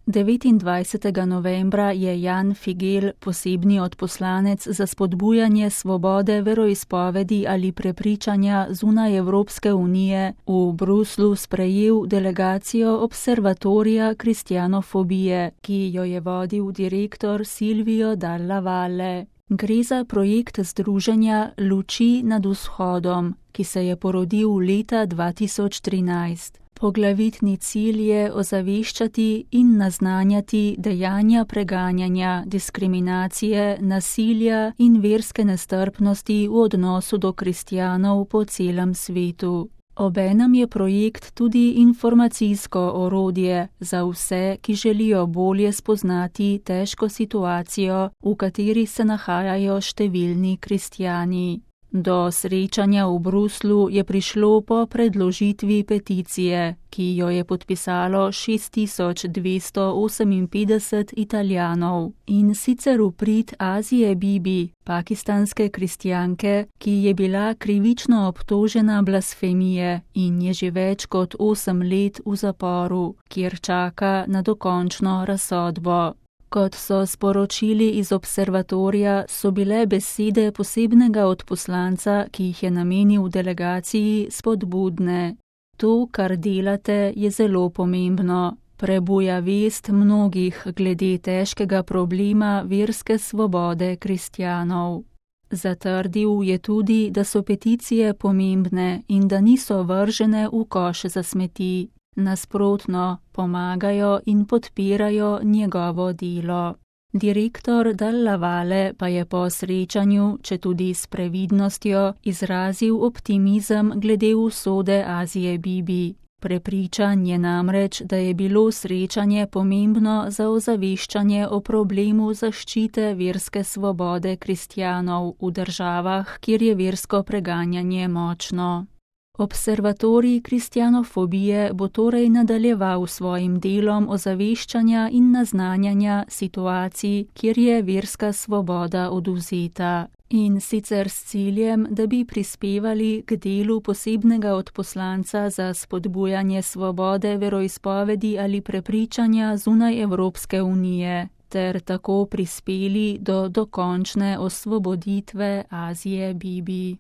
29. novembra je Jan Figel, posebni odposlanec za spodbujanje svobode veroizpovedi ali prepričanja zunaj Evropske unije, v Bruslu sprejel delegacijo Observatorija kristjanofobije, ki jo je vodil direktor Silvio Dalla Valle. Gre za projekt združenja Luči nad vzhodom, ki se je porodil leta 2013. Poglavitni cilj je ozaveščati in naznanjati dejanja preganjanja, diskriminacije, nasilja in verske nestrpnosti v odnosu do kristjanov po celem svetu. Obenem je projekt tudi informacijsko orodje za vse, ki želijo bolje spoznati težko situacijo, v kateri se nahajajo številni kristjani. Do srečanja v Bruslu je prišlo po predložitvi peticije, ki jo je podpisalo 6258 Italijanov, in sicer v prid Asie Bibi, pakistanske kristjanke, ki je bila krivično obtožena blasfemije in je že več kot 8 let v zaporu, kjer čaka na dokončno razsodbo. Kot so sporočili iz observatorija, so bile besede posebnega odposlanca, ki jih je namenil delegaciji, spodbudne. To, kar delate, je zelo pomembno. Prebuja vest mnogih glede težkega problema verske svobode kristjanov. Zatrdil je tudi, da so peticije pomembne in da niso vržene v koš za smeti. Nasprotno, pomagajo in podpirajo njegovo delo. Direktor Dalla Valle pa je po srečanju, četudi s previdnostjo, izrazil optimizem glede usode Asie Bibi. Prepričan je namreč, da je bilo srečanje pomembno za ozaveščanje o problemu zaščite verske svobode kristjanov v državah, kjer je versko preganjanje močno. Observatorij kristjanofobije bo torej nadaljeval svojim delom ozaveščanja in naznanjanja situacij, kjer je verska svoboda odvzeta. In sicer s ciljem, da bi prispevali k delu posebnega odposlanca za spodbujanje svobode veroizpovedi ali prepričanja zunaj Evropske unije, ter tako prispeli do dokončne osvoboditve Asie Bibi.